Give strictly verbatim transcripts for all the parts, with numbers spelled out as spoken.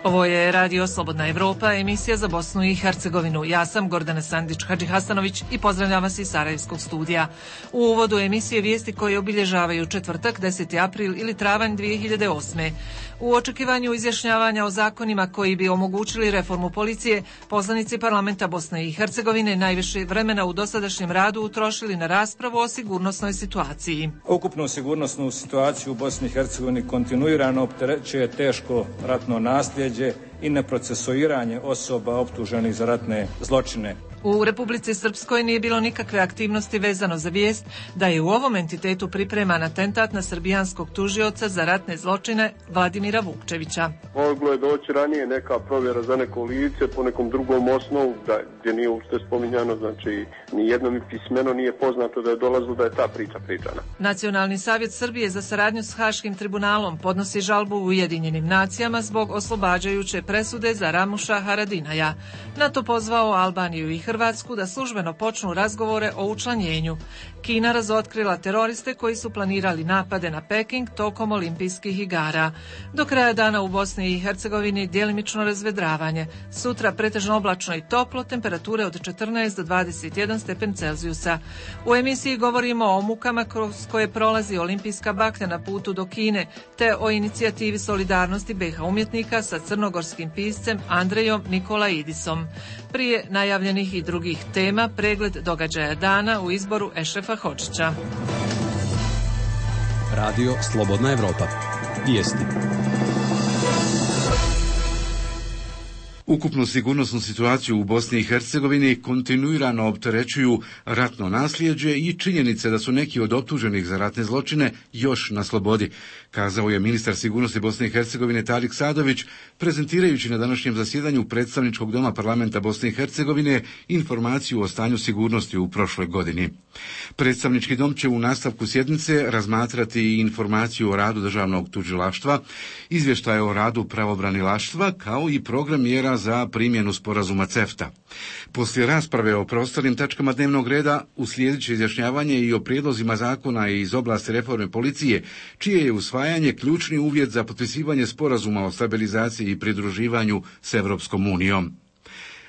Ovo je Radio Slobodna Evropa, emisija za Bosnu i Hercegovinu. Ja sam Gordana Sandić-Hadžihasanović i pozdravljam vas iz Sarajevskog studija. U uvodu emisije vijesti koje obilježavaju četvrtak, deseti april ili travanj dvije hiljade osme. U očekivanju izjašnjavanja o zakonima koji bi omogućili reformu policije, poslanici parlamenta Bosne i Hercegovine najviše vremena u dosadašnjem radu utrošili na raspravu o sigurnosnoj situaciji. Ukupnu sigurnosnu situaciju u Bosni i Hercegovini kontinuirano opterećuje teško ratno nasljeđe i neprocesuiranje osoba optuženih za ratne zločine. U Republici Srpskoj nije bilo nikakve aktivnosti vezano za vijest da je u ovom entitetu pripreman atentat na srbijanskog tužioca za ratne zločine Vladimira Vukčevića. Moglo je doći ranije neka provjera za neko lice po nekom drugom osnovu da, gdje nije uopšte spominjano, znači ni jedno mi pismeno nije poznato da je dolazilo da je ta priča pričana. Nacionalni savjet Srbije za saradnju s Haškim tribunalom podnosi žalbu Ujedinjenim nacijama zbog oslobađajuće presude za Ramuša Haradinaja. Na to pozvao Albaniju i Hrvatsku da službeno počnu razgovore o učlanjenju. Kina razotkrila teroriste koji su planirali napade na Peking tokom olimpijskih igara. Do kraja dana u Bosni i Hercegovini djelimično razvedravanje. Sutra pretežno oblačno i toplo, temperature od četrnaest do dvadeset jedan stepen Celzijusa. U emisiji govorimo o mukama kroz koje prolazi olimpijska baklja na putu do Kine, te o inicijativi solidarnosti B iH umjetnika sa crnogorskim piscem Andrejom Nikolaidisom. Prije najavljenih i drugih tema, pregled događaja dana u izboru Ešrefa Hodžića. Radio Slobodna Evropa. Vijesti. Ukupnu sigurnosnu situaciju u Bosni i Hercegovini kontinuirano opterećuju ratno nasljeđe i činjenice da su neki od optuženih za ratne zločine još na slobodi, kazao je ministar sigurnosti Bosne i Hercegovine Tarik Sadović, prezentirajući na današnjem zasjedanju predstavničkog doma parlamenta Bosne i Hercegovine informaciju o stanju sigurnosti u prošloj godini. Predstavnički dom će u nastavku sjednice razmatrati i informaciju o radu državnog tužilaštva, izvještaje o radu pravobranilaštva, kao i program mjera za primjenu sporazuma CEFTA. Poslije rasprave o preostalim tačkama dnevnog reda uslijedit će izjašnjavanje i o prijedlozima zakona iz oblasti reforme policije, čije je usvajanje ključni uvjet za potpisivanje sporazuma o stabilizaciji i pridruživanju s Europskom unijom.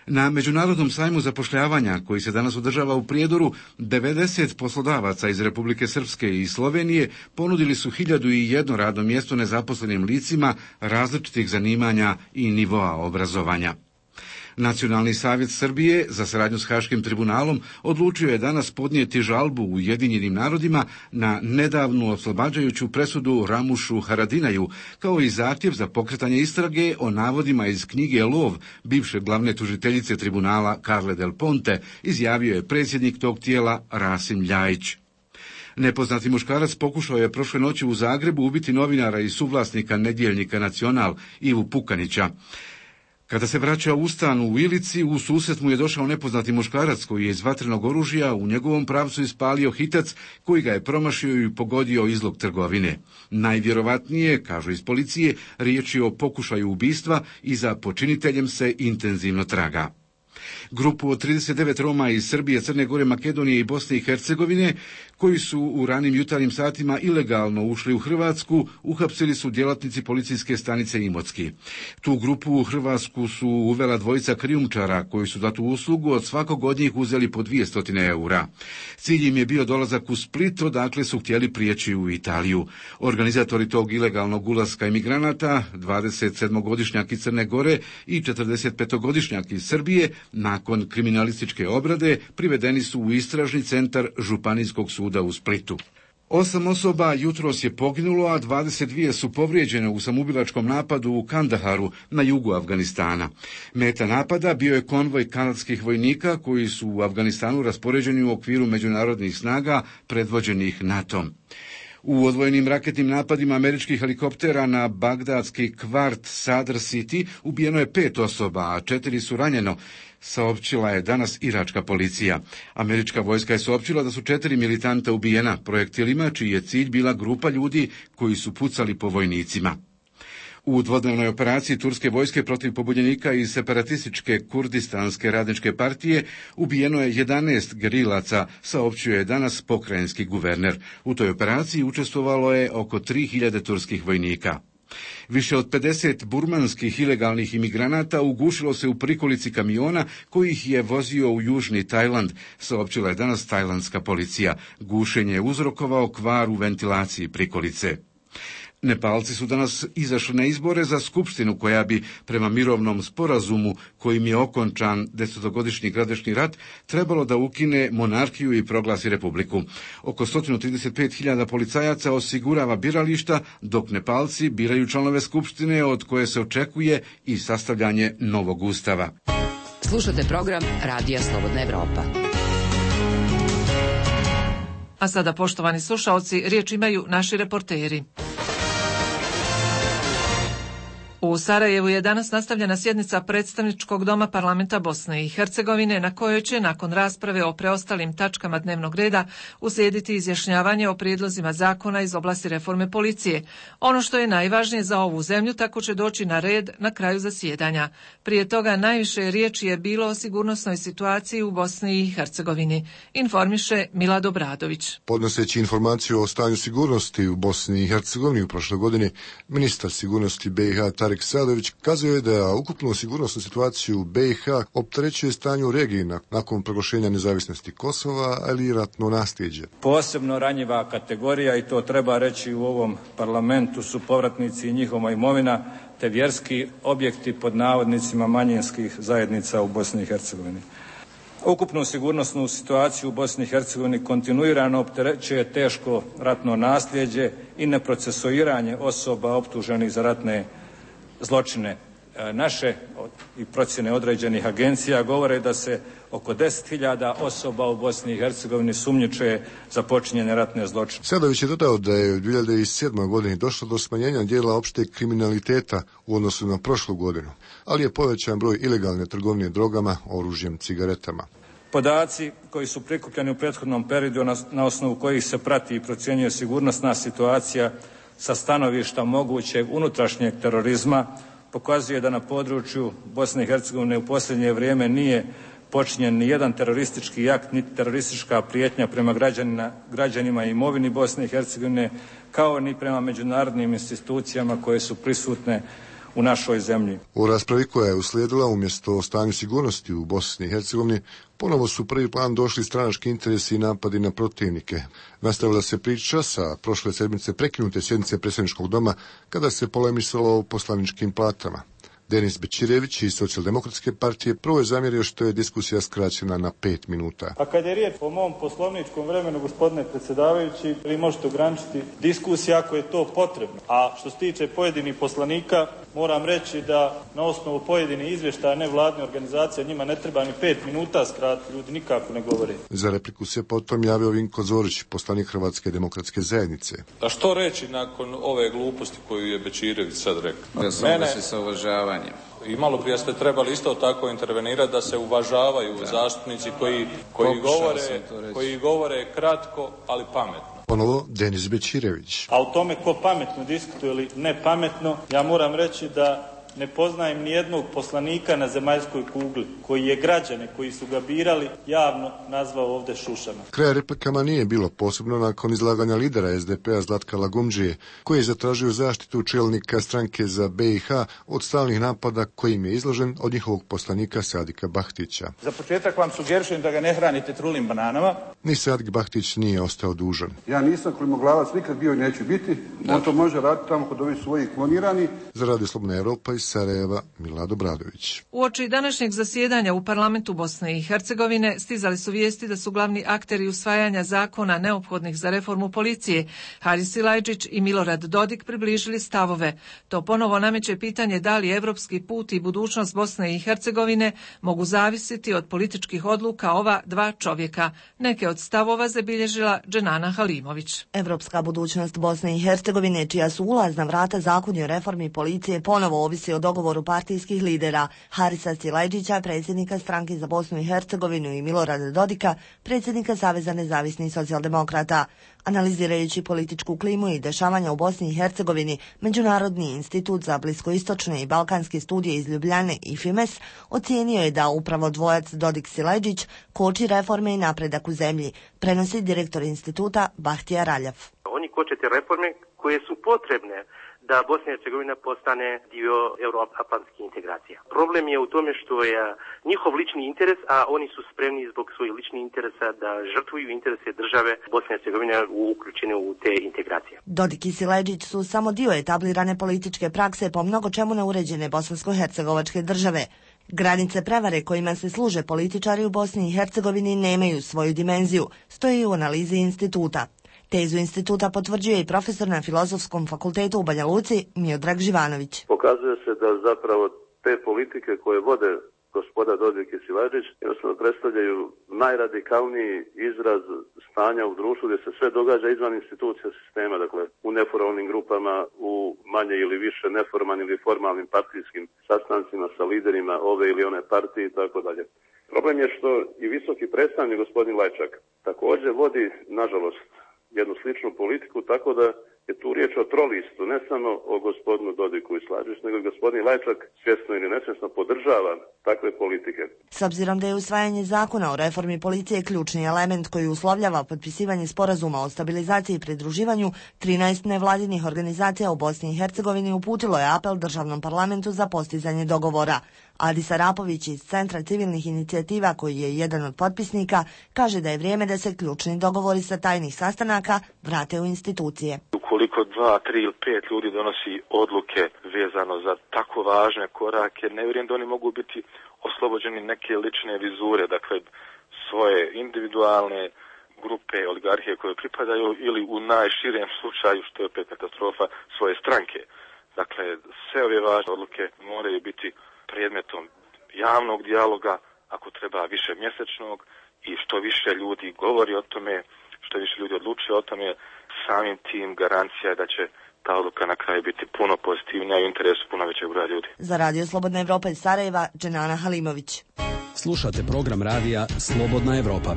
Na Međunarodnom sajmu zapošljavanja, koji se danas održava u Prijedoru, devedeset poslodavaca iz Republike Srpske i Slovenije ponudili su hiljadu i jedno radno mjesto nezaposlenim licima različitih zanimanja i nivoa obrazovanja. Nacionalni savjet Srbije za saradnju s Haškim tribunalom odlučio je danas podnijeti žalbu Ujedinjenim narodima na nedavnu oslobađajuću presudu Ramušu Haradinaju, kao i zahtjev za pokretanje istrage o navodima iz knjige Lov bivše glavne tužiteljice tribunala Carle Del Ponte, izjavio je predsjednik tog tijela Rasim Ljajić. Nepoznati muškarac pokušao je prošle noći u Zagrebu ubiti novinara i suvlasnika nedjeljnika Nacional Ivu Pukanića. Kada se vraćao u stan u Ilici, u susret mu je došao nepoznati muškarac koji je iz vatrenog oružja u njegovom pravcu ispalio hitac koji ga je promašio i pogodio izlog trgovine. Najvjerovatnije, kažu iz policije, riječ je o pokušaju ubistva i za počiniteljem se intenzivno traga. Grupu od trideset devet Roma iz Srbije, Crne Gore, Makedonije i Bosne i Hercegovine, koji su u ranim jutarnjim satima ilegalno ušli u Hrvatsku, uhapsili su djelatnici policijske stanice Imotski. Tu grupu u Hrvatsku su uvela dvojica krijumčara, koji su za tu uslugu od svakog od njih uzeli po dvjesto eura. Cilj im je bio dolazak u Split, odakle su htjeli prijeći u Italiju. Organizatori tog ilegalnog ulaska imigranata, dvadesetsedmogodišnjak iz Crne Gore i četrdesetpetogodišnjak iz Srbije, nakon kriminalističke obrade privedeni su u istražni centar Županijskog suda u Splitu. Osam osoba jutros je poginulo, a dvadeset dvije su povrijeđene u samoubilačkom napadu u Kandaharu na jugu Afganistana. Meta napada bio je konvoj kanadskih vojnika koji su u Afganistanu raspoređeni u okviru međunarodnih snaga predvođenih NATO-om. U odvojenim raketnim napadima američkih helikoptera na bagdadski kvart Sadr City ubijeno je pet osoba, a četiri su ranjeno, saopćila je danas iračka policija. Američka vojska je saopćila da su četiri militanta ubijena projektilima, čiji je cilj bila grupa ljudi koji su pucali po vojnicima. U dvodnevnoj operaciji turske vojske protiv pobunjenika iz separatističke kurdistanske radničke partije ubijeno je jedanaest gerilaca, saopćuje danas pokrajinski guverner. U toj operaciji učestvovalo je oko tri hiljade turskih vojnika. Više od pedeset burmanskih ilegalnih imigranata ugušilo se u prikolici kamiona koji ih je vozio u južni Tajland, saopćila je danas tajlandska policija. Gušenje je uzrokovao kvar u ventilaciji prikolice. Nepalci su danas izašli na izbore za skupštinu koja bi, prema mirovnom sporazumu kojim je okončan desetogodišnji gradašnji rat, trebalo da ukine monarhiju i proglasi republiku. Oko sto trideset pet hiljada policajaca osigurava birališta, dok Nepalci biraju članove skupštine od koje se očekuje i sastavljanje novog ustava. Slušate program Radija Slobodna Evropa. A sada, poštovani slušaoci, riječ imaju naši reporteri. U Sarajevu je danas nastavljena sjednica predstavničkog doma parlamenta Bosne i Hercegovine, na kojoj će nakon rasprave o preostalim tačkama dnevnog reda uslijediti izjašnjavanje o prijedlozima zakona iz oblasti reforme policije. Ono što je najvažnije za ovu zemlju tako će doći na red na kraju zasjedanja. Prije toga najviše riječi je bilo o sigurnosnoj situaciji u Bosni i Hercegovini, informiše Milad Obradović. Podnoseći informaciju o stanju sigurnosti u Bosni i Hercegovini u prošloj godini, ministar sigurnosti B i H Tarik Sadović kazuje da ukupnu sigurnosnu situaciju u B i H opterećuje stanje u regiji nakon proglašenja nezavisnosti Kosova, ali i ratno nasljeđe. Posebno ranjiva kategorija, i to treba reći u ovom parlamentu, su povratnici i njihova imovina, te vjerski objekti pod navodnicima manjinskih zajednica u Bosni i Hercegovini. Ukupnu sigurnosnu situaciju u Bosni i Hercegovini kontinuirano opterećuje teško ratno nasljeđe i neprocesuiranje osoba optuženih za ratne zločine. Naše i procjene određenih agencija govore da se oko deset hiljada osoba u Bosni i Hercegovini sumnjiče za počinjene ratne zločine. Sadović je dodao da je u dvije hiljade sedmoj godini došlo do smanjenja dijela opšteg kriminaliteta u odnosu na prošlu godinu, ali je povećan broj ilegalne trgovine drogama, oružjem, cigaretama. Podaci koji su prikupljeni u prethodnom periodu na, na osnovu kojih se prati i procjenjuje sigurnosna situacija sa stanovišta mogućeg unutrašnjeg terorizma pokazuje da na području Bosne i Hercegovine u posljednje vrijeme nije počinjen ni jedan teroristički akt, niti teroristička prijetnja prema građanima, građanima i imovini Bosne i Hercegovine, kao ni prema međunarodnim institucijama koje su prisutne u našoj zemlji. U raspravi koja je uslijedila, umjesto o stanju sigurnosti u Bosni i Hercegovini, ponovo su u prvi plan došli stranački interesi i napadi na protivnike. Nastavila se priča sa prošle sedmice prekinute sjednice predsjedničkog doma kada se polemisalo o poslaničkim platama. Denis Bećirević iz Socijaldemokratske partije prvo je zamjerio što je diskusija skraćena na pet minuta. A kad je riječ o mom poslovničkom vremenu, gospodine predsjedavajući, vi možete ograničiti diskusiju ako je to potrebno. A što se tiče pojedinih poslanika, moram reći da na osnovu pojedinih izvještaja nevladne organizacije njima ne treba ni pet minuta skratiti, ljudi nikako ne govore. Za repliku se potom javio Vinko Zorić, poslanik Hrvatske demokratske zajednice. A što reći nakon ove gluposti koju je Bećirević sad rekao? Da se Mene... sa uvažavanjem. I malo prije ste trebali isto tako intervenirati da se uvažavaju da. zastupnici koji, koji, govore, koji govore kratko, ali pametno. Ponovo Denis Bećirević. A o tome ko pametno diskutuje ili ne pametno, ja moram reći da ne poznajem ni jednog poslanika na zemaljskoj kugli koji je građane koji su ga birali javno nazvao ovdje šušama. Kraja replikama nije bilo, posebno nakon izlaganja lidera es de pe a Zlatka Lagumdžije, koji je zatražio zaštitu čelnika stranke za be i ha od stalnih napada kojim je izložen od njihovog poslanika Sadika Bahtića. Za početak vam sugerišujem da ga ne hranite trulim bananama. Ni Sadik Bahtić nije ostao dužan. Ja nisam klimoglavac, nikad bio i neću biti. On to može raditi tamo kod ovih svojih klonirani. Za Radio Slobodna Evropa iz Sarajeva, Milad Obradović. Uoči današnjeg zasjedanja u parlamentu Bosne i Hercegovine stizali su vijesti da su glavni akteri usvajanja zakona neophodnih za reformu policije Haris Silajdžić i Milorad Dodik približili stavove. To ponovo nameće pitanje da li evropski put i budućnost Bosne i Hercegovine mogu zavisiti od političkih odluka ova dva čovjeka. Neke od stavova zabilježila Dženana Halimović. Evropska budućnost Bosne i Hercegovine, čija su ulazna vrata zakoni o reformi policije, ponovo ovisi o dogovoru partijskih lidera Harisa Silajdžića, predsjednika stranke za Bosnu i Hercegovinu, i Milorada Dodika, predsjednika Saveza nezavisnih socijaldemokrata. Analizirajući političku klimu i dešavanja u Bosni i Hercegovini, Međunarodni institut za bliskoistočne i balkanske studije iz Ljubljane i FIMES ocijenio je da upravo dvojac Dodik-Silajdžić koči reforme i napredak u zemlji, prenosi direktor instituta Bahtija Raljav. Oni koče te reforme koje su potrebne da Bosna i Hercegovina postane dio euroatlantskih integracija. Problem je u tome što je njihov lični interes, a oni su spremni zbog svojih ličnih interesa da žrtvuju interese države Bosne i Hercegovine uključene u te integracije. Dodik i Siledžić su samo dio etablirane političke prakse po mnogo čemu neuređene bosansko-hercegovačke države. Granice prevare kojima se služe političari u Bosni i Hercegovini nemaju svoju dimenziju, stoji u analizi instituta. Tezu instituta potvrđuje i profesor na Filozofskom fakultetu u Banja Luci Miodrag Živanović. Pokazuje se da zapravo te politike koje vode gospoda Dodik i Siledžić jednostavno predstavljaju najradikalniji izraz stanja u društvu gdje se sve događa izvan institucija sistema, dakle u neformalnim grupama, u manje ili više neformalnim ili formalnim partijskim sastancima sa liderima ove ili one partije i tako dalje. Problem je što i visoki predstavnik gospodin Lajčak također vodi, nažalost, jednu sličnu politiku, tako da je tu riječ o trolistu, ne samo o gospodinu Dodiku i Siledžić, nego i gospodin Lajčak svjesno ili nesvjesno podržava takve politike. S obzirom da je usvajanje zakona o reformi policije ključni element koji uslovljava potpisivanje sporazuma o stabilizaciji i pridruživanju, trinaest nevladinih organizacija u Bosni i Hercegovini uputilo je apel državnom parlamentu za postizanje dogovora. Adis Arapović iz Centra civilnih inicijativa, koji je jedan od potpisnika, kaže da je vrijeme da se ključni dogovori sa tajnih sastanaka vrate u institucije. Ukoliko dva, tri ili pet ljudi donosi odluke vezano za tako važne korake, ne vjerujem da oni mogu biti oslobođeni neke lične vizure, dakle svoje individualne grupe, oligarhije koje pripadaju ili u najširem slučaju, što je opet katastrofa, svoje stranke. Dakle, sve ove važne odluke moraju biti predmetom javnog dijaloga, ako treba više mjesečnog, i što više ljudi govori o tome, što više ljudi odlučuje o tome, samim tim garancija je da će ta odluka na kraju biti puno pozitivnija i u interesu puno većeg broja ljudi. Za Radio Slobodna Evropa iz Sarajeva, Dženana Halimović. Slušate program radija Slobodna Evropa.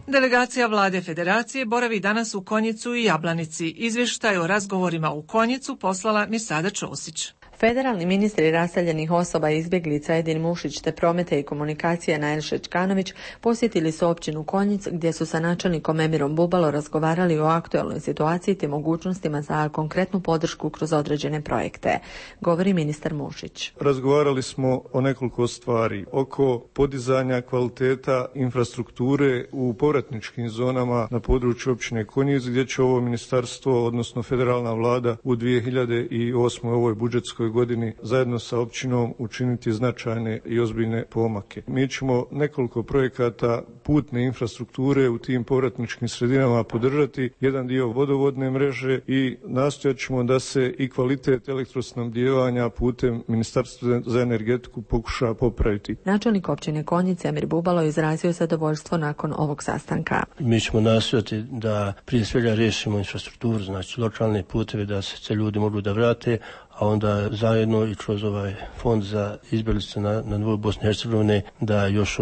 Delegacija vlade Federacije boravi danas u Konjicu i Jablanici. Izvještaj o razgovorima u Konjicu poslala Mirsada Ćosić. Federalni ministri raseljenih osoba i izbjeglica Edin Mušić te prometa i komunikacija Nail Šečkanović posjetili su općinu Konjic gdje su sa načelnikom Emirom Bubalo razgovarali o aktualnoj situaciji te mogućnostima za konkretnu podršku kroz određene projekte. Govori ministar Mušić. Razgovarali smo o nekoliko stvari oko podizanja kvaliteta infrastrukture u povratničkim zonama na području općine Konjic, gdje će ovo ministarstvo, odnosno federalna vlada u dvije hiljade osmoj ovoj budžetskoj godini zajedno sa općinom učiniti značajne i ozbiljne pomake. Mi ćemo nekoliko projekata putne infrastrukture u tim povratničkim sredinama podržati, jedan dio vodovodne mreže i nastojat ćemo da se i kvalitet elektrosnabdijevanja putem Ministarstva za energetiku pokuša popraviti. Načelnik općine Konjic Emir Bubalo izrazio zadovoljstvo nakon ovog sastanka. Mi ćemo nastojati da prije svega riješimo infrastrukturu, znači lokalne puteve da se ljudi mogu da vrate, a onda zajedno i kroz ovaj fond za izbjeglice na, na nivou Bosne i Hercegovine da još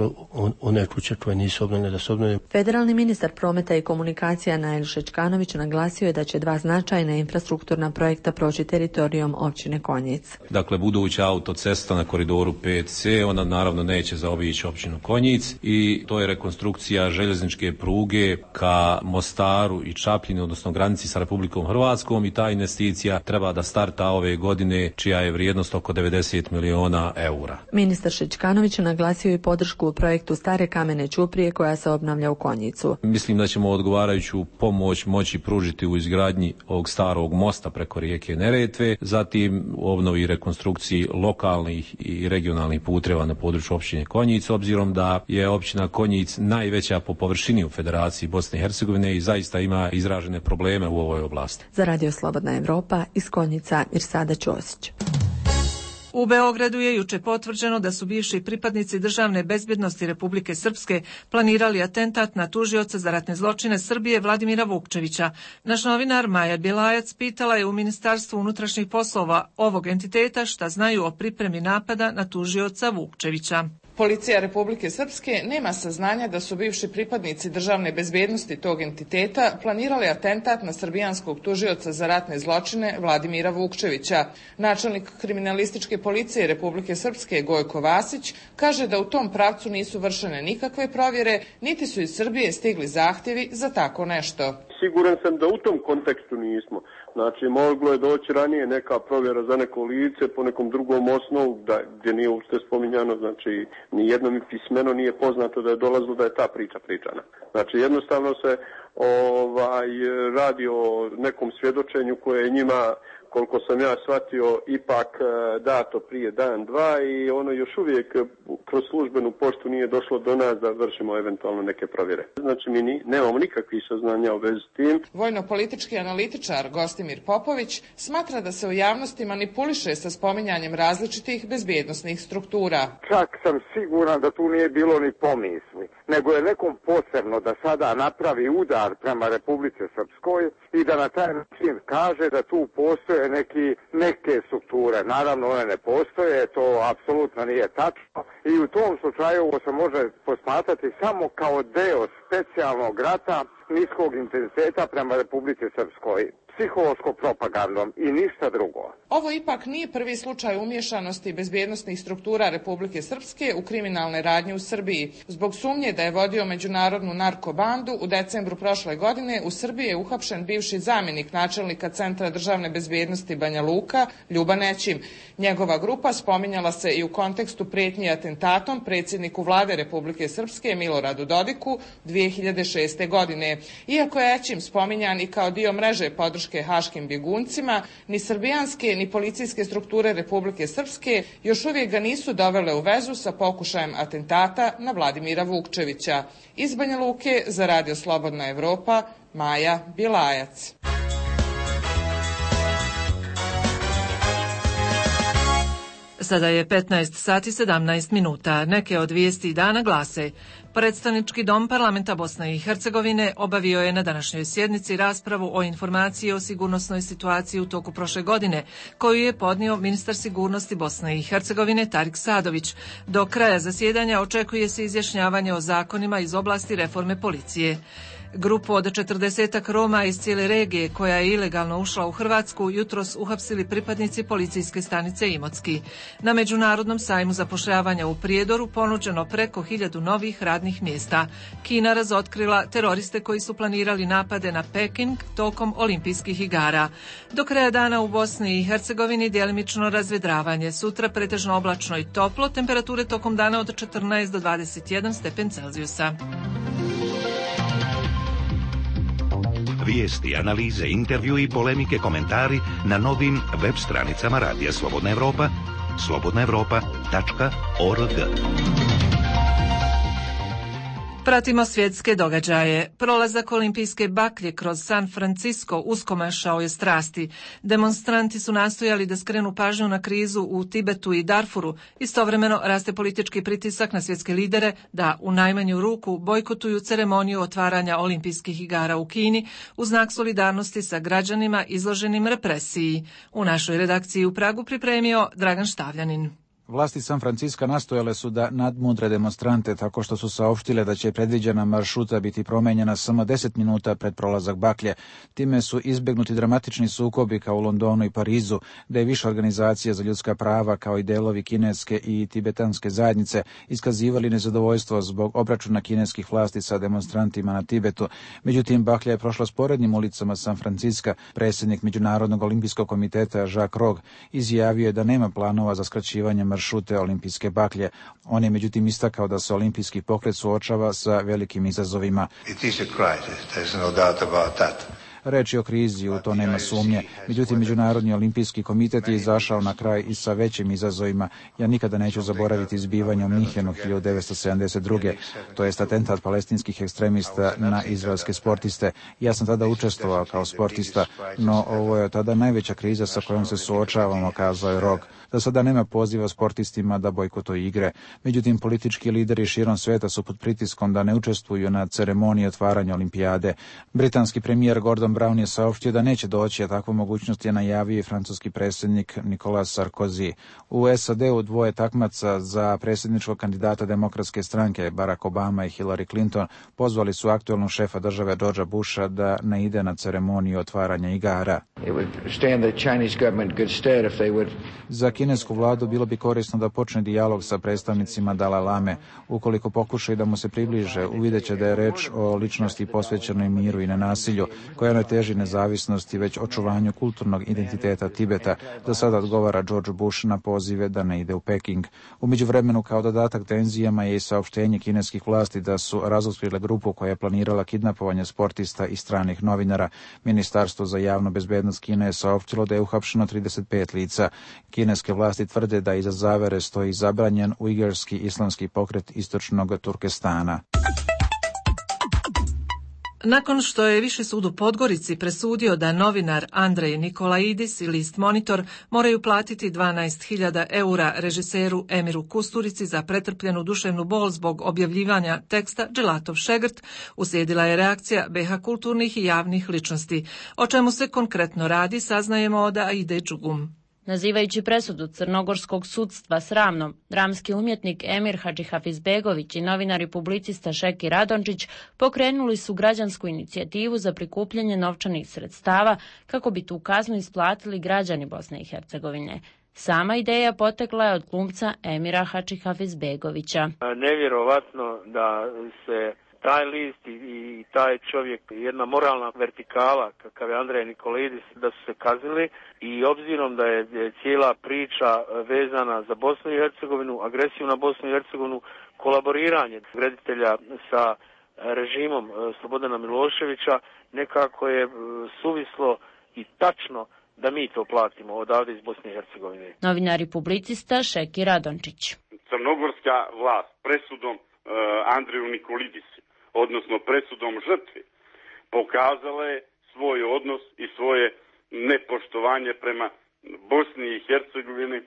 one kuće koje nisu obnovljene da se obnovljene. Federalni ministar prometa i komunikacija Nail Šečkanović naglasio je da će dva značajna infrastrukturna projekta proći teritorijom općine Konjic. Dakle, buduća autocesta na koridoru pet ce, ona naravno neće zaobići općinu Konjic i to je rekonstrukcija željezničke pruge ka Mostaru i Čapljini, odnosno granici sa Republikom Hrvatskom, i ta investicija treba da starta ove godine, čija je vrijednost oko devedeset miliona eura. Ministar Šečkanović naglasio i podršku u projektu Stare kamene ćuprije koja se obnavlja u Konjicu. Mislim da ćemo odgovarajuću pomoć moći pružiti u izgradnji ovog starog mosta preko rijeke Neretve, zatim u obnovi i rekonstrukciji lokalnih i regionalnih puteva na području općine Konjic, obzirom da je općina Konjic najveća po površini u Federaciji Bosne i Hercegovine i zaista ima izražene probleme u ovoj oblasti. Za Radio Slobodna Evropa iz Konjica Mirsada Ćosić. U Beogradu je juče potvrđeno da su bivši pripadnici državne bezbjednosti Republike Srpske planirali atentat na tužioca za ratne zločine Srbije Vladimira Vukčevića. Naš novinar Maja Bjelajac pitala je u Ministarstvu unutrašnjih poslova ovog entiteta šta znaju o pripremi napada na tužioca Vukčevića. Policija Republike Srpske nema saznanja da su bivši pripadnici državne bezbednosti tog entiteta planirali atentat na srbijanskog tužioca za ratne zločine Vladimira Vukčevića. Načelnik kriminalističke policije Republike Srpske Gojko Vasić kaže da u tom pravcu nisu vršene nikakve provjere, niti su iz Srbije stigli zahtjevi za tako nešto. Siguran sam da u tom kontekstu nismo. Znači, moglo je doći ranije neka provjera za neko lice po nekom drugom osnovu, da, gdje nije uopšte spominjano, znači, ni jedno mi pismeno nije poznato da je dolazilo da je ta priča pričana. Znači, jednostavno se ovaj, radi o nekom svjedočenju koje je njima, koliko sam ja shvatio, ipak dato prije dan, dva i ono još uvijek kroz službenu poštu nije došlo do nas da vršimo eventualno neke provjere. Znači mi ni, nemamo nikakvih saznanja u vezi s tim. Vojno-politički analitičar Gostimir Popović smatra da se u javnosti manipuliše sa spominjanjem različitih bezbjednosnih struktura. Čak sam siguran da tu nije bilo ni pomisli, nego je nekom posebno da sada napravi udar prema Republike Srpskoj i da na taj način kaže da tu postoje neki, neke strukture. Naravno, one ne postoje, to apsolutno nije tačno i u tom slučaju ovo se može posmatrati samo kao deo specijalnog rata niskog intenziteta prema Republike Srpskoj, psihološko-propagandom i ništa drugo. Ovo ipak nije prvi slučaj umješanosti bezbjednosnih struktura Republike Srpske u kriminalne radnje u Srbiji. Zbog sumnje da je vodio međunarodnu narkobandu, u decembru prošle godine u Srbiji je uhapšen bivši zamjenik načelnika Centra državne bezbjednosti Banja Luka, Ljuba Nećim. Njegova grupa spominjala se i u kontekstu prijetnji atentatom predsjedniku vlade Republike Srpske Miloradu Dodiku dvije hiljade šeste. godine. Iako je Ećim spominjan i kao dio mreže podrške haškim bjeguncima, ni srbijanske ni policijske strukture Republike Srpske još uvijek ga nisu dovele u vezu sa pokušajem atentata na Vladimira Vukčevića. Iz Banja Luke za Radio Slobodna Evropa, Maja Bilajac. Sada je petnaest sati sedamnaest minuta. Neke od vijesti dana glase: Predstavnički dom parlamenta Bosne i Hercegovine obavio je na današnjoj sjednici raspravu o informaciji o sigurnosnoj situaciji u toku prošle godine, koju je podnio ministar sigurnosti Bosne i Hercegovine Tarik Sadović. Do kraja zasjedanja očekuje se izjašnjavanje o zakonima iz oblasti reforme policije. Grupu od četrdesetak Roma iz cijele regije koja je ilegalno ušla u Hrvatsku jutros uhapsili pripadnici policijske stanice Imotski. Na Međunarodnom sajmu zapošljavanja u Prijedoru ponuđeno preko hiljadu novih radnih mjesta. Kina razotkrila teroriste koji su planirali napade na Peking tokom olimpijskih igara. Do kraja dana u Bosni i Hercegovini djelimično razvedravanje. Sutra pretežno oblačno i toplo, temperature tokom dana od četrnaest do dvadeset jedan stepen Celzijusa. Vijesti, analize, intervju i polemike, komentari na novim web stranicama Radija Slobodna Evropa, slobodna evropa tačka org. Pratimo svjetske događaje. Prolazak olimpijske baklje kroz San Francisco uskomašao je strasti. Demonstranti su nastojali da skrenu pažnju na krizu u Tibetu i Darfuru. Istovremeno raste politički pritisak na svjetske lidere da u najmanju ruku bojkotuju ceremoniju otvaranja olimpijskih igara u Kini u znak solidarnosti sa građanima izloženim represiji. U našoj redakciji u Pragu pripremio Dragan Štavljanin. Vlasti San Francisca nastojale su da nadmudre demonstrante tako što su saopštile da će predviđena maršruta biti promenjena samo deset minuta pred prolazak baklje. Time su izbjegnuti dramatični sukobi kao u Londonu i Parizu, gdje je više organizacija za ljudska prava kao i delovi kineske i tibetanske zajednice iskazivali nezadovoljstvo zbog obračuna kineskih vlasti sa demonstrantima na Tibetu. Međutim, baklja je prošla sporednim ulicama San Francisca. Predsjednik Međunarodnog olimpijskog komiteta Jacques Rogge izjavio je da nema planova za skraćivanje maršruta šute olimpijske baklje. On je međutim istakao da se olimpijski pokret suočava sa velikim izazovima. It is a crisis, there's no doubt about that. Reč je o krizi, u to nema sumnje. Međutim, Međunarodni olimpijski komitet je izašao na kraj i sa većim izazovima. Ja nikada neću zaboraviti zbivanje u Minhenu hiljadu devetsto sedamdeset druge. To jest atentat palestinskih ekstremista na izraelske sportiste. Ja sam tada učestvovao kao sportista, no ovo je tada najveća kriza sa kojom se suočavamo, kazao je Rogge. Za sada nema poziva sportistima da bojkotuju igre. Međutim, politički lideri širom sveta su pod pritiskom da ne učestvuju na ceremoniji otvaranja olimpijade. Britanski premijer Gordon Gordon Brown je saopštio da neće doći, a takvu mogućnost je najavio i francuski predsjednik Nicolas Sarkozy. U S A D-u dvoje takmaca za predsjedničkog kandidata demokratske stranke, Barack Obama i Hillary Clinton, pozvali su aktualnog šefa države Georgea Busha da ne ide na ceremoniju otvaranja igara. Za kinesku vladu bilo bi korisno da počne dijalog sa predstavnicima Dalaj Lame. Ukoliko pokušaju da mu se približe, uvidjet će da je reč o ličnosti posvećenoj miru i nenasilju, koja ne teži nezavisnosti, već očuvanju kulturnog identiteta Tibeta. Do sada odgovara George Bush na pozive da ne ide u Peking. U međuvremenu, kao dodatak tenzijama je i saopštenje kineskih vlasti da su razotkrile grupu koja je planirala kidnapovanje sportista i stranih novinara. Ministarstvo za javnu bezbednost Kine je saopštilo da je uhapšeno trideset pet lica. Kineske vlasti tvrde da iza zavere stoji zabranjen ujgurski islamski pokret istočnog Turkestana. Nakon što je Viši sud u Podgorici presudio da novinar Andrej Nikolaidis i list Monitor moraju platiti dvanaest hiljada eura režiseru Emiru Kusturici za pretrpljenu duševnu bol zbog objavljivanja teksta Dželatov šegrt, uslijedila je reakcija be ha kulturnih i javnih ličnosti. O čemu se konkretno radi, saznajemo od Aide Đugum. Nazivajući presudu crnogorskog sudstva sramnom, dramski umjetnik Emir Hadžihafizbegović i novinar i publicista Šeki Radončić pokrenuli su građansku inicijativu za prikupljanje novčanih sredstava kako bi tu kaznu isplatili građani Bosne i Hercegovine. Sama ideja potekla je od glumca Emira Hadžihafizbegovića. Nevjerovatno da se taj list i, i taj čovjek, jedna moralna vertikala kakav je Andrej Nikolaidis, da su se kazili i obzirom da je cijela priča vezana za Bosnu i Hercegovinu, agresiju na Bosnu i Hercegovinu, kolaboriranje reditelja sa režimom Slobodana Miloševića, nekako je suvislo i tačno da mi to platimo odavde iz Bosne i Hercegovine. Novinar i publicista Šeki Radončić. Crnogorska vlast presudom uh, Andreju Nikolidisu, odnosno presudom žrtvi, pokazala je svoj odnos i svoje nepoštovanje prema Bosni i Hercegovini.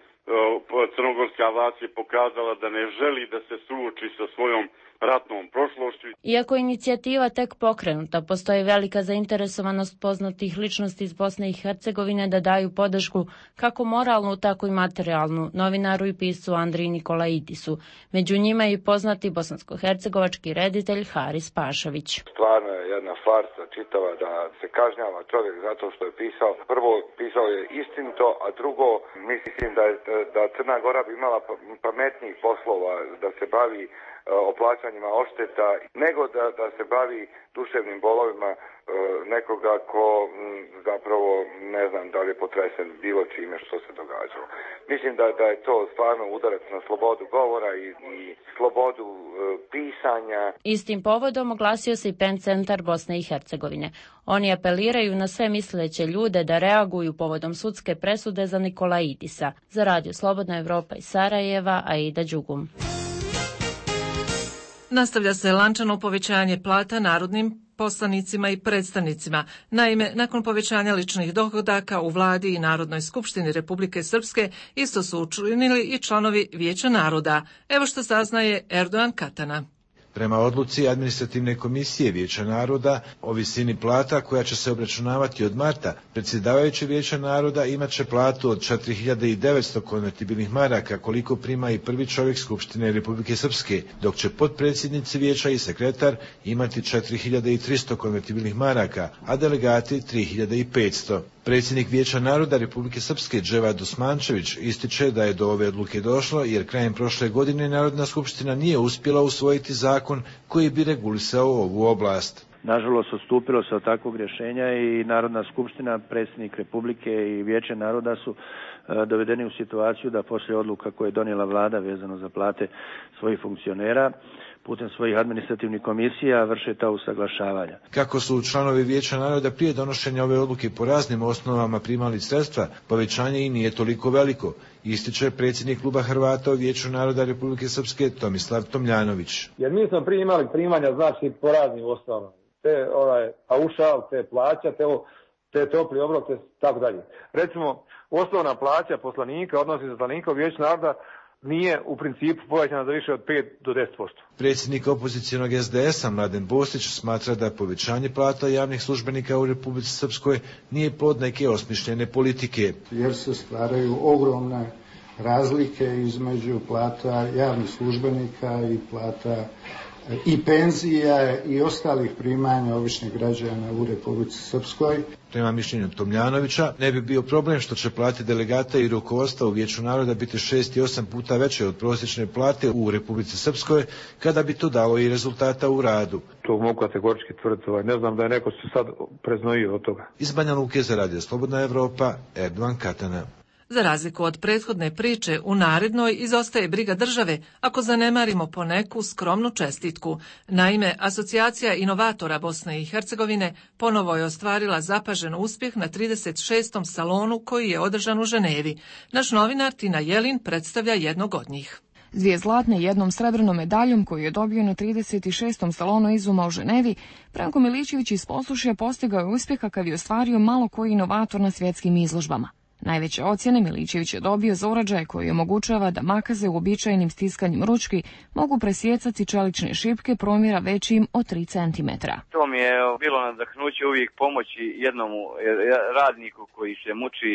Crnogorska vlast je pokazala da ne želi da se suoči sa svojom ratnom prošlošću. Iako je inicijativa tek pokrenuta, postoji velika zainteresovanost poznatih ličnosti iz Bosne i Hercegovine da daju podršku kako moralnu, tako i materijalnu novinaru i piscu Andriji Nikolaidisu. Među njima je i poznati bosansko-hercegovački reditelj Haris Pašović. Stvarno je jedna farsa čitava da se kažnjava čovjek zato što je pisao. Prvo, pisao je istinito, a drugo, mislim da, je, da Crna Gora bi imala pametnijih poslova da se bavi o plaćanjima odšteta, nego da, da se bavi duševnim bolovima e, nekoga ko m, zapravo ne znam da li je potresen bilo čime što se događalo. Mislim da, da je to stvarno udarac na slobodu govora i, i slobodu e, pisanja. Istim povodom oglasio se i PEN centar Bosne i Hercegovine. Oni apeliraju na sve misleće ljude da reaguju povodom sudske presude za Nikolaidisa. Za Radio Slobodna Evropa iz Sarajeva, Aida Đugum. Nastavlja se lančano povećanje plata narodnim poslanicima i predstavnicima. Naime, nakon povećanja ličnih dohodaka u vladi i Narodnoj skupštini Republike Srpske isto su učinili i članovi Vijeća naroda. Evo što saznaje Erdogan Katana. Prema odluci Administrativne komisije Vijeća naroda o visini plata koja će se obračunavati od marta, predsjedavajući Vijeća naroda imat će platu od četiri hiljade devetsto konvertibilnih maraka koliko prima i prvi čovjek Skupštine Republike Srpske, dok će potpredsjednici Vijeća i sekretar imati četiri hiljade tristo konvertibilnih maraka, a delegati tri hiljade petsto. Predsjednik Vijeća naroda Republike Srpske Dževad Osmančević ističe da je do ove odluke došlo jer krajem prošle godine Narodna skupština nije uspjela usvojiti zakon koji bi regulisao ovu oblast. Nažalost, odstupilo se od takvog rješenja i Narodna skupština, predsjednik Republike i Vijeće naroda su e, dovedeni u situaciju da poslije odluka koje je donijela vlada vezano za plate svojih funkcionera, putem svojih administrativnih komisija vrše ta usaglašavanja. Kako su članovi Vijeća naroda prije donošenja ove odluke po raznim osnovama primali sredstva, povećanje i nije toliko veliko, ističe predsjednik kluba Hrvata u Vijeću naroda Republike Srpske Tomislav Tomljanović. Jer mi smo prije imali primanja, znači, po raznim osnovama. Te ovaj, paušal, te plaća, te, te topli obrok, te tako dalje. Recimo, osnovna plaća poslanika, odnosi za poslanika u Vijeću naroda, nije u principu povećana za više od pet do deset posto. Predsjednik opozicijonog es de es a Mladen Bostić smatra da povećanje plata javnih službenika u Republici Srpskoj nije plod neke osmišljene politike. Jer se stvaraju ogromne razlike između plata javnih službenika i plata i penzija i ostalih primanja običnih građana u Republici Srpskoj. Prema mišljenju Tomljanovića, ne bi bio problem što će plate delegata i rukovodstva u Vijeću naroda biti šest i osam puta veće od prosječne plate u Republici Srpskoj, kada bi to dalo i rezultata u radu. To mogu kategorički tvrditi, ne znam da je neko se sad preznojio od toga. Iz Banja Luke za Radio Slobodna Evropa, Erdogan Katana. Za razliku od prethodne priče, u narednoj izostaje briga države ako zanemarimo po neku skromnu čestitku. Naime, Asocijacija inovatora Bosne i Hercegovine ponovo je ostvarila zapažen uspjeh na trideset šestom salonu koji je održan u Ženevi. Naš novinar Tina Jelin predstavlja jednog od njih. S dvije zlatne i jednom srebrnom medaljom koju je dobio na trideset šestom salonu izuma u Ženevi, Branko Miličević iz Posušja postigao je uspjeh kakav je ostvario malo koji inovator na svjetskim izložbama. Najveće ocjene Miličević je dobio za uređaj koji omogućava da makaze uobičajenim stiskanjem ručki mogu presjecati čelične šipke promjera većim od tri centimetra. To mi je bilo nadahnuće uvijek pomoći jednom radniku koji se muči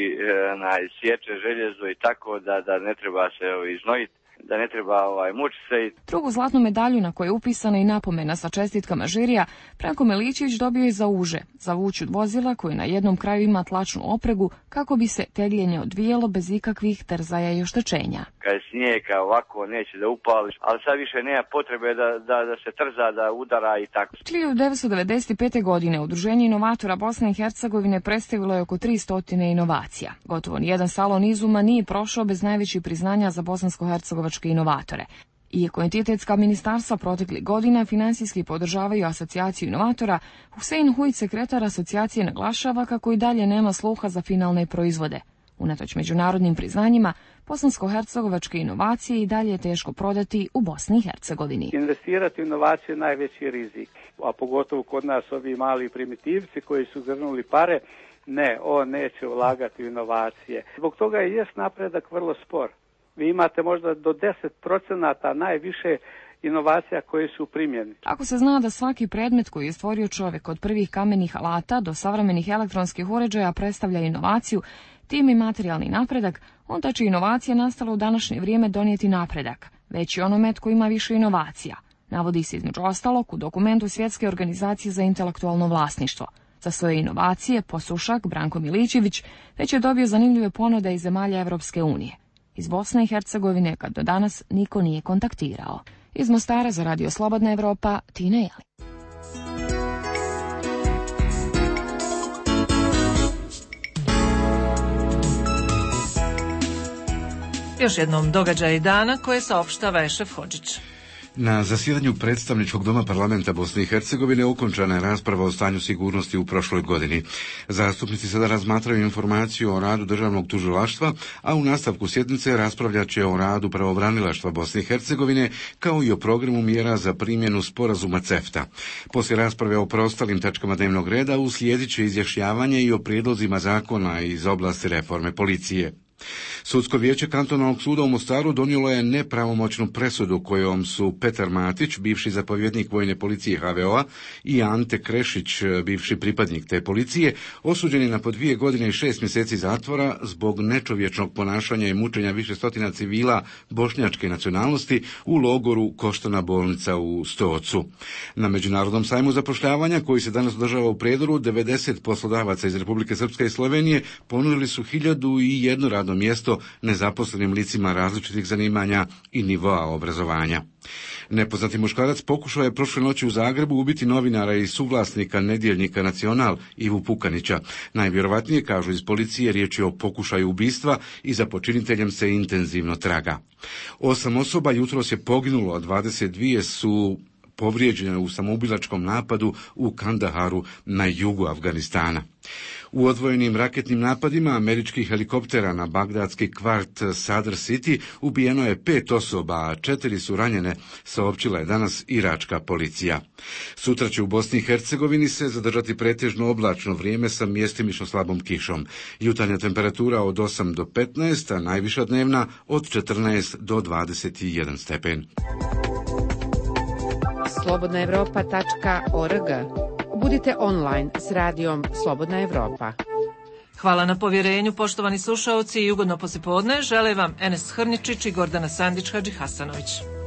na sječe željezo i tako da, da ne treba se iznojiti, da ne treba ovaj, mučiti se. Drugu zlatnu medalju na kojoj je upisana i napomena sa čestitkama žirija, Branko Miličević dobio je za uže, za vuču vozila koji na jednom kraju ima tlačnu opregu kako bi se tegljenje odvijelo bez ikakvih trzaja i oštećenja. Kad je snijega ovako neće da upališ, ali sad više nema potrebe da, da, da se trza, da udara i tako. hiljadu devetsto devedeset pete. godine Udruženje inovatora Bosne i Hercegovine predstavilo je oko tristo inovacija. Gotovo nijedan salon izuma nije prošao bez najvećih priznanja za bosansko-hercegovačke inovatore. Iako entitetska ministarstva proteklih godina finansijski podržavaju asocijaciju inovatora, Husein Hujić, sekretar asocijacije, naglašava kako i dalje nema sluha za finalne proizvode. Unatoč međunarodnim priznanjima, bosansko-hercegovačke inovacije i dalje je teško prodati u Bosni i Hercegovini. Investirati u inovacije je najveći rizik, a pogotovo kod nas ovi mali primitivci koji su grnuli pare, ne, on neće ulagati u inovacije. Zbog toga je jest napredak vrlo spor. Vi imate možda do deset procenata najviše inovacija koje su primjeni. Ako se zna da svaki predmet koji je stvorio čovjek od prvih kamenih alata do savremenih elektronskih uređaja predstavlja inovaciju, tim i materijalni napredak, onda će inovacija nastala u današnje vrijeme donijeti napredak, već i onome tko ima više inovacija. Navodi se između ostalog u dokumentu Svjetske organizacije za intelektualno vlasništvo. Za svoje inovacije Posušak Branko Miličević već je dobio zanimljive ponude iz zemalja Evropske unije. Iz Bosne i Hercegovine kad do danas niko nije kontaktirao. Iz Mostara za Radio Slobodna Evropa, Tina Jelin. Još jednom događaj dana koje saopštava Ešef Hodžić. Na zasjedanju predstavničkog doma parlamenta Bosne i Hercegovine okončana je rasprava o stanju sigurnosti u prošloj godini. Zastupnici sada razmatraju informaciju o radu državnog tužilaštva, a u nastavku sjednice raspravljat će o radu pravobranilaštva Bosne i Hercegovine, kao i o programu mjera za primjenu sporazuma CEFTA. Poslije rasprave o preostalim tačkama dnevnog reda uslijedit će izjašnjavanje i o prijedlozima zakona iz oblasti reforme policije. Sudsko vijeće kantonalnog suda u Mostaru donijelo je nepravomoćnu presudu kojom su Petar Matić, bivši zapovjednik vojne policije ha ve o-a, i Ante Krešić, bivši pripadnik te policije, osuđeni na po dvije godine i šest mjeseci zatvora zbog nečovječnog ponašanja i mučenja više stotina civila bošnjačke nacionalnosti u logoru Koštana bolnica u Stocu. Na Međunarodnom sajmu zapošljavanja, koji se danas održava u Prijedoru, devedeset poslodavaca iz Republike Srpske i Slovenije ponudili su hiljadu i jedno radno mjesto nezaposlenim licima različitih zanimanja i nivoa obrazovanja. Nepoznati muškarac pokušao je prošle noći u Zagrebu ubiti novinara i suvlasnika nedjeljnika Nacional Ivu Pukanića. Najvjerovatnije, kažu iz policije, riječ je o pokušaju ubistva i za počiniteljem se intenzivno traga. Osam osoba jutros je poginulo, a dvadeset dvije su povrijeđena u samoubilačkom napadu u Kandaharu na jugu Afganistana. U odvojenim raketnim napadima američkih helikoptera na bagdadski kvart Sadr City ubijeno je pet osoba, a četiri su ranjene, saopćila je danas iračka policija. Sutra će u Bosni i Hercegovini se zadržati pretežno oblačno vrijeme sa mjestimično slabom kišom. Jutarnja temperatura od osam do petnaest, a najviša dnevna od četrnaest do dvadeset jedan stepen. slobodna europa tačka org. Budite online s radijom Slobodna Evropa. Hvala na povjerenju, poštovani slušaoci, i ugodno poslijepodne žele vam Enes Hrničić i Gordana Sandić Hadžihasanović.